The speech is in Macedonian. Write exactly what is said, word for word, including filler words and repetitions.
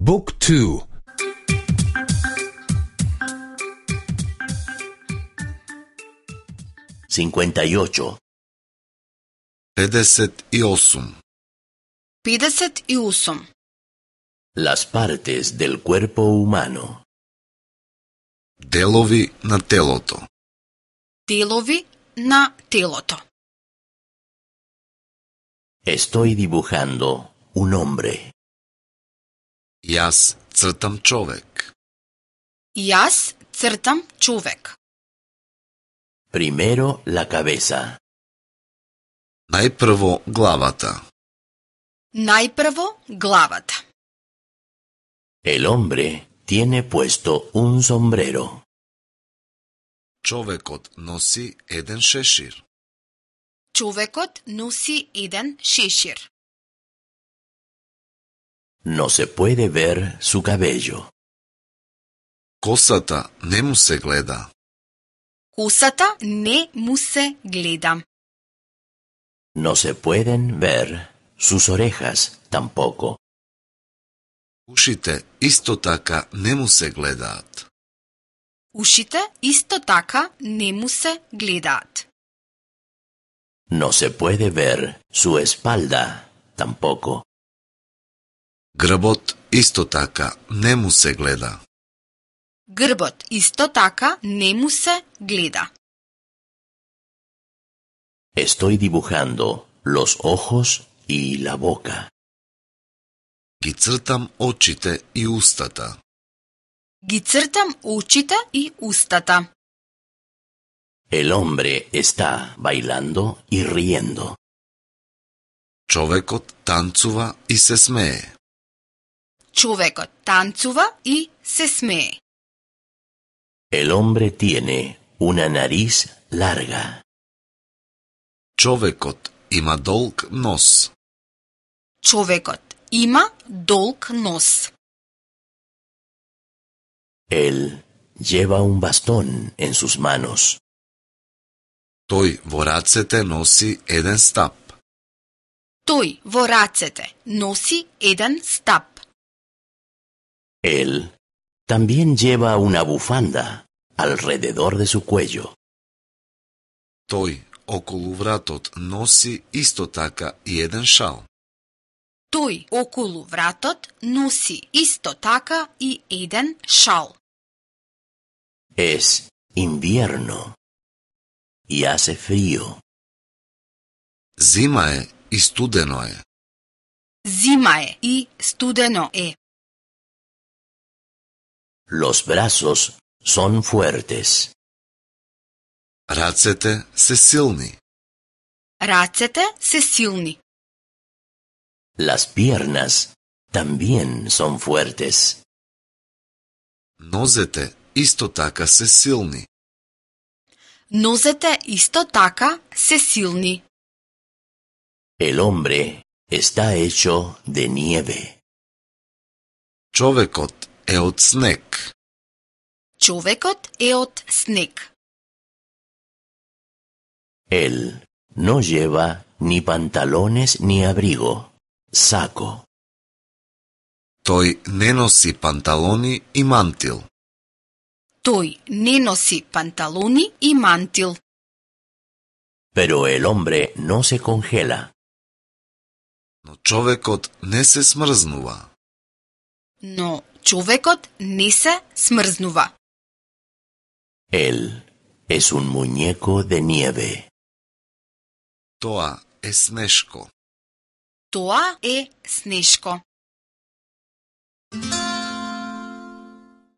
Book two. cincuenta y ocho. педесет и осум. педесет и осум. Las partes del cuerpo humano. Делови на телото. Делови на телото. Estoy dibujando un hombre. Јас цртам човек. Јас цртам човек. Primero la cabeza. Најпрво главата. Најпрво главата. El hombre tiene puesto un sombrero. Човекот носи еден шешир. Човекот носи еден шешир. No se puede ver su cabello. Косата не му се гледа. Косата не му се гледа. No se pueden ver sus orejas tampoco. Ушите исто така не му се гледаат. Ушите исто така не му се гледаат. No se puede ver su espalda tampoco. Грбот исто така не му се гледа. Грбот исто така не му се гледа. Estoy dibujando los ojos y la boca. Ги цртам очите и устата. Ги цртам очите и устата. El hombre está bailando y riendo. Човекот танцува и се смее. Човекот танцува и се смее. El hombre tiene una nariz larga. Човекот има долг нос. Човекот има долг нос. Él lleva un bastón en sus manos. Тој во рацете носи еден стап. Тој во рацете носи еден стап. Él también lleva una bufanda alrededor de su cuello. Тој околу вратот носи исто така и еден шал. Тој околу вратот носи исто така и еден шал. Es invierno y hace frío. Зима е и студено е. Зима е и студено е. Los brazos son fuertes. Рацете се силни. Рацете се силни. Las piernas también son fuertes. Нозете исто така се силни. Нозете исто така се силни. El hombre está hecho de nieve. Човекот е од снег. Човекот е од снег. Él no lleva ni pantalones ni abrigo, saco. Тој не носи панталони и мантил. Тој не носи панталони и мантил. Pero el hombre no se congela. Но човекот не се смрзнува. Но човекот не се смрзнува. Él es un muñeco de nieve. Тоа е снешко. Тоа е снешко.